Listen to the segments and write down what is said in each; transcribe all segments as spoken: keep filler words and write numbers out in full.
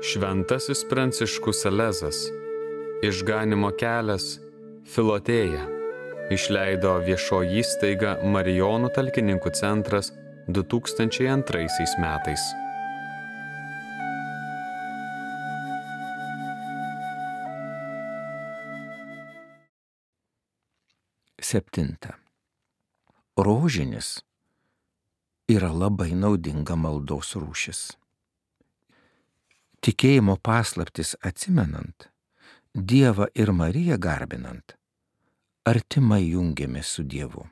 Šventasis Pranciškus Salezas, Išganymo kelias, Filotėja, išleido viešoji įstaiga Marijonų talkininkų centras du tūkstančiai antraisiais metais. Septinta. Rožinis yra labai naudinga maldos rūšis. Tikėjimo paslaptis atsimenant, Dievą ir Mariją garbinant, artimai jungiamės su Dievu.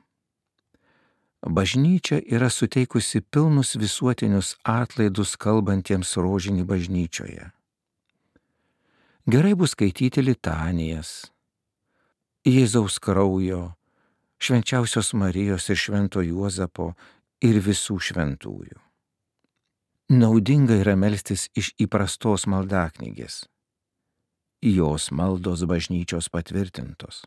Bažnyčia yra suteikusi pilnus visuotinius atlaidus kalbantiems rožinį bažnyčioje. Gerai bus skaityti litanijas, Jėzaus kraujo, švenčiausios Marijos ir švento Juozapo ir visų šventųjų. Naudinga yra melstis iš įprastos maldaknygės. Jos maldos bažnyčios patvirtintos.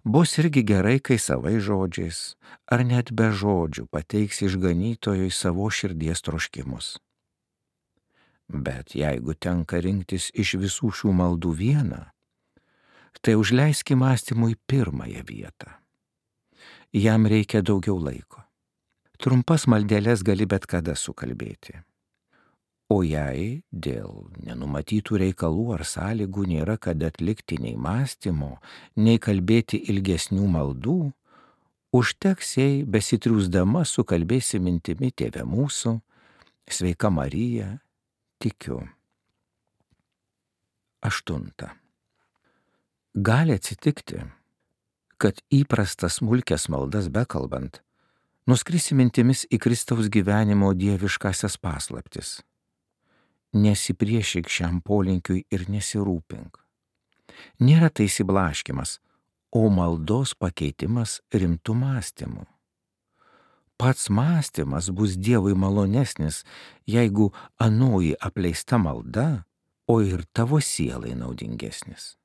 Bus irgi gerai, kai savai žodžiais ar net be žodžių pateiks išganytojui savo širdies troškimus. Bet jeigu tenka rinktis iš visų šių maldų vieną, tai užleiski mąstymui pirmąją vietą. Jam reikia daugiau laiko. Trumpas maldeles gali bet kada sukalbėti. O jei dėl nenumatytų reikalų ar sąlygų nėra kada atlikti nei mąstymo, nei kalbėti ilgesnių maldų, užteks, jei besitriūsdama sukalbėsi mintimi Tėve mūsų, Sveika Marija, tikiu. Aštunta. Gali atsitikti, kad įprastas smulkias maldas bekalbant, nuskrisi mintimis į Kristaus gyvenimo dieviškasias paslaptis. Nesipriešyk šiam polinkiui ir nesirūpink. Nėra tai išsiblaškymas, o maldos pakeitimas rimtų mąstymų. Pats mąstymas bus Dievui malonesnis, jeigu anoji apleista malda, o ir tavo sielai naudingesnis.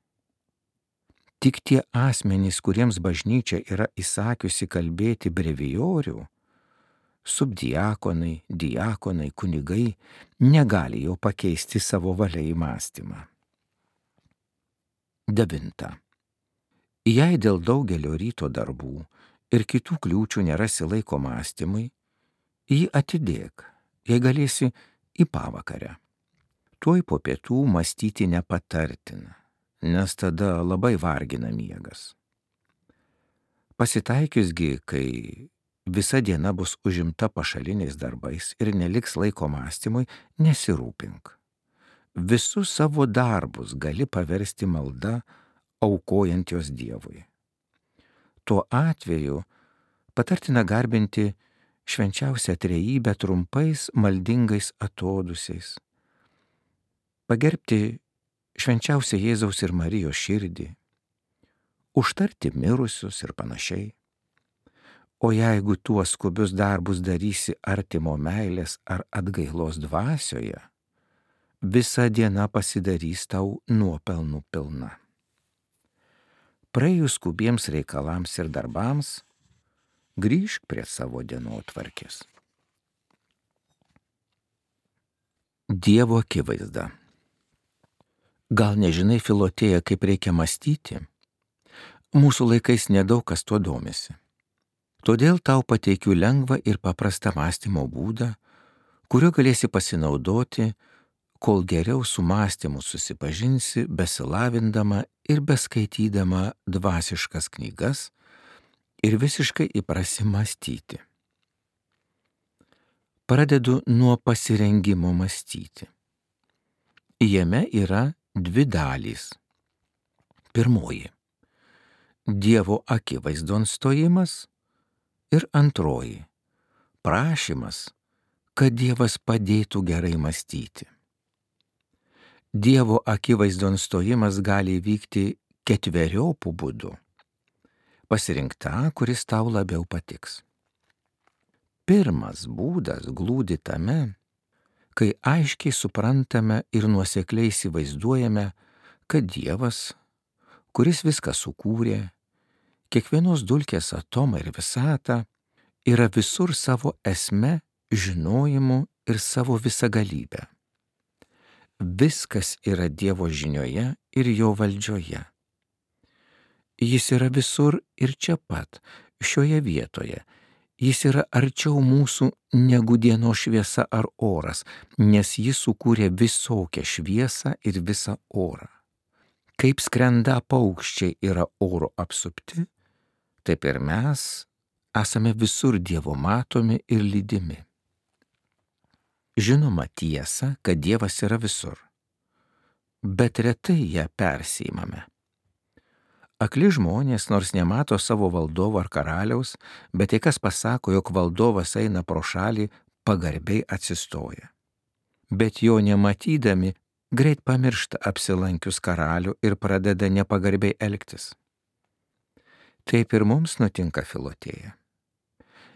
Tik tie asmenys, kuriems bažnyčia yra įsakiusi kalbėti brevijorių, subdiakonai, diakonai, kunigai, negali jo pakeisti savo valia į mąstymą. Devinta. Jei dėl daugelio ryto darbų ir kitų kliūčių nerasi laiko mąstymui, jį atidėk, jei galėsi, į pavakarę. Tuoj po pietų mąstyti nepatartina, nes tada labai vargina miegas. Pasitaikiusgi, kai visa diena bus užimta pašaliniais darbais ir neliks laiko mąstymui, nesirūpink. Visus savo darbus gali paversti malda, aukojant jos Dievui. Tuo atveju patartina garbinti švenčiausią trejybę trumpais maldingais atodūsiais, pagerbti švenčiausią Jėzaus ir Marijos širdį, užtarti mirusius ir panašiai. O jeigu tuos skubius darbus darysi artimo meilės ar atgailos dvasioje, visa diena pasidarys tau nuopelnų pilna. Praėjus skubiems reikalams ir darbams, grįžk prie savo dienotvarkės. Dievo akivaizda. Gal nežinai, Filotėja, kaip reikia mąstyti? Mūsų laikais nedaug kas tuo domisi. Todėl tau pateikiu lengvą ir paprastą mąstymo būdą, kuriuo galėsi pasinaudoti, kol geriau su mąstymu susipažinsi, besilavindama ir beskaitydama dvasiškas knygas ir visiškai įprasi mąstyti. Pradedu nuo pasirengimo mąstyti. Jame yra dvi dalys. Pirmoji – Dievo akivaizdon stojimas ir antroji – prašymas, kad Dievas padėtų gerai mąstyti. Dievo akivaizdon stojimas gali vykti ketveriopų būdų. Pasirink tą, kuris tau labiau patiks. Pirmas būdas glūdi tame, kai aiškiai suprantame ir nuosekliai įsivaizduojame, kad Dievas, kuris viską sukūrė, kiekvienos dulkės atomą ir visatą, yra visur savo esme, žinojimu ir savo visagalybę. viskas yra Dievo žinioje ir jo valdžioje. Jis yra visur ir čia pat, šioje vietoje. Jis yra arčiau mūsų negu dienos šviesa ar oras, nes jis sukūrė visokią šviesą ir visą orą. Kaip skrenda paukščiai yra oro apsupti, taip ir mes esame visur Dievo matomi ir lydimi. Žinoma tiesa, kad Dievas yra visur, bet retai ją persiimame. Akli žmonės, nors nemato savo valdovo ar karaliaus, bet jei kas pasako, jog valdovas eina pro šalį, pagarbiai atsistoja. Bet jo nematydami, greit pamiršta apsilankius karalių ir pradeda nepagarbiai elgtis. Taip ir mums nutinka Filotėja.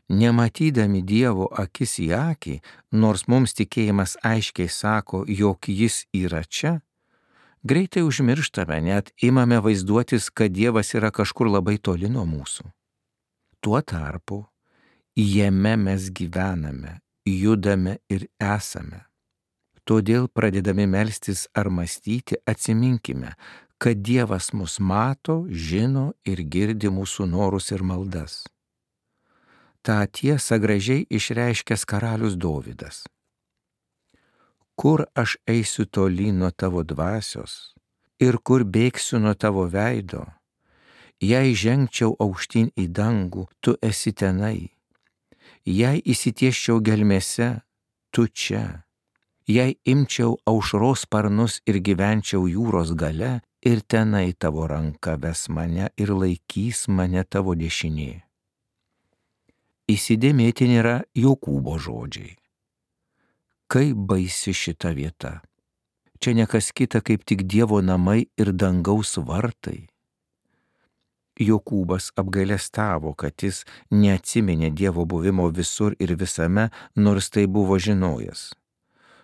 Nematydami Dievo akis į akį, nors mums tikėjimas aiškiai sako, jog jis yra čia, greitai užmirštame, net imame vaizduotis, kad Dievas yra kažkur labai toli nuo mūsų. Tuo tarpu jame mes gyvename, judame ir esame. Todėl pradedami melstis ar mąstyti, atsiminkime, kad Dievas mus mato, žino ir girdi mūsų norus ir maldas. Ta tiesa gražiai išreiškęs karalius Dovydas. Kur aš eisiu tolyn nuo tavo dvasios ir kur bėgsiu nuo tavo veido, jei žengčiau aukštyn į dangų, tu esi tenai, jei įsitiesčiau gelmėse, tu čia, jei imčiau aušros sparnus ir gyvenčiau jūros gale, ir tenai tavo ranka ves mane ir laikys mane tavo dešinė. Įsidėmėtini yra Jokūbo žodžiai. Kaip baisi šita vieta. Čia nekas kita kaip tik Dievo namai ir dangaus vartai. Jokūbas apgailestavo, kad jis neatsiminė Dievo buvimo visur ir visame, nors tai buvo žinojęs.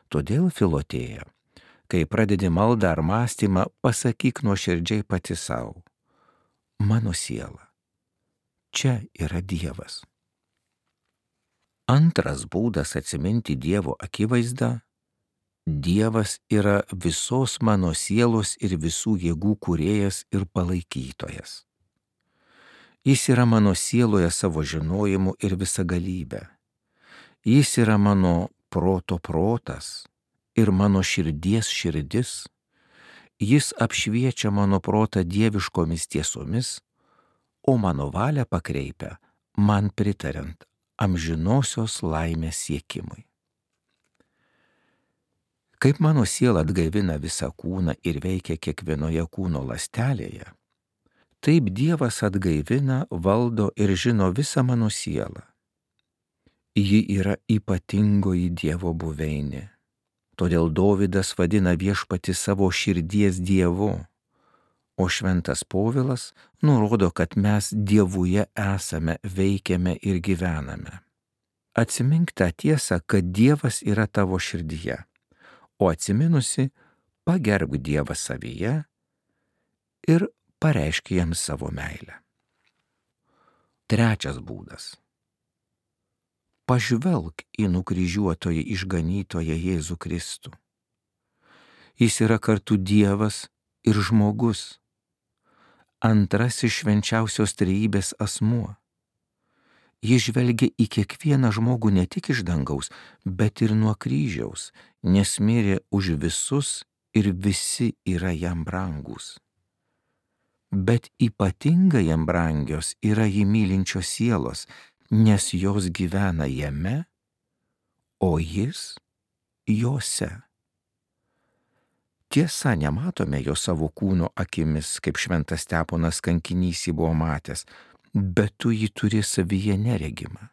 Todėl Filotėja, kai pradedi maldą ar mąstymą, pasakyk nuoširdžiai pati savo. Mano siela, čia yra Dievas. Antras būdas atsiminti Dievo akivaizdą – Dievas yra visos mano sielos ir visų jėgų kūrėjas ir palaikytojas. Jis yra mano sieloje savo žinojimu ir visagalybė. Jis yra mano proto protas ir mano širdies širdis. Jis apšviečia mano protą dieviškomis tiesomis, o mano valią pakreipia, man pritariant, amžinosios laimės siekimui. Kaip mano siela atgaivina visą kūną ir veikia kiekvienoje kūno ląstelėje, taip Dievas atgaivina, valdo ir žino visą mano sielą. Ji yra ypatingoji Dievo buveinė. Todėl Dovydas vadina viešpatį savo širdies Dievu, o šventas Povilas nurodo, kad mes Dievuje esame, veikiame ir gyvename. Atsimink tą tiesą, kad Dievas yra tavo širdyje, o atsiminusi, pagerbk Dievą savyje ir pareišk jam savo meilę. Trečias būdas. Pažvelk į nukryžiuotoją išganytoją Jėzų Kristų. Jis yra kartu Dievas ir žmogus, antrasis švenčiausios trejybės asmuo. Jis žvelgia į kiekvieną žmogų ne tik iš dangaus, bet ir nuo kryžiaus, nes mirė už visus ir visi yra jam brangūs. Bet ypatingai jam brangios yra jį mylinčios sielos, nes jos gyvena jame, o jis jose. Tiesa, nematome jo savo kūno akimis, kaip šventas Steponas kankinys jį buvo matęs, bet tu jį turi savyje neregimą.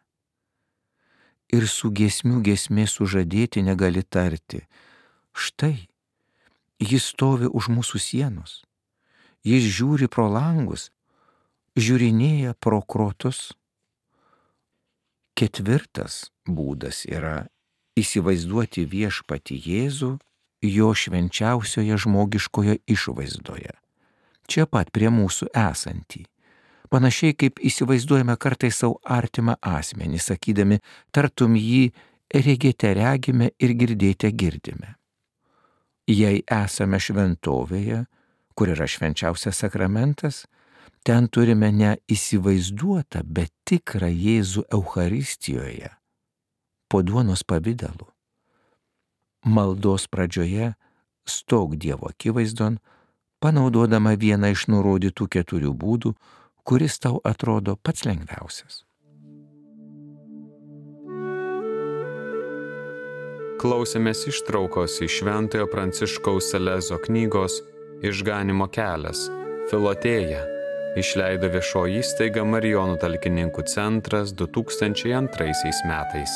Ir su giesmių giesmės sužadėti negali tarti. Štai, jis stovi už mūsų sienos. Jis žiūri pro langus, žiūrinėja pro krotus. Ketvirtas būdas yra įsivaizduoti viešpatį Jėzų jo švenčiausioje žmogiškoje išvaizdoje, čia pat prie mūsų esantį. Panašiai kaip įsivaizduojame kartais savo artimą asmenį, sakydami, tartum jį regėte regime ir girdėte girdime. Jei esame šventovėje, kur yra švenčiausias sakramentas, ten turime ne įsivaizduotą, bet tikrą Jėzų Eucharistijoje, po duonos pavidalu. Maldos pradžioje stok Dievo akivaizdon, panaudodama vieną iš nurodytų keturių būdų, kuris tau atrodo pats lengviausias. Klausėmės ištraukos iš Šventojo Pranciškaus Salezo knygos Išganymo kelias – Filotėja, išleido viešoji įstaiga Marijonų talkininkų centras du tūkstančiai antraisiais metais.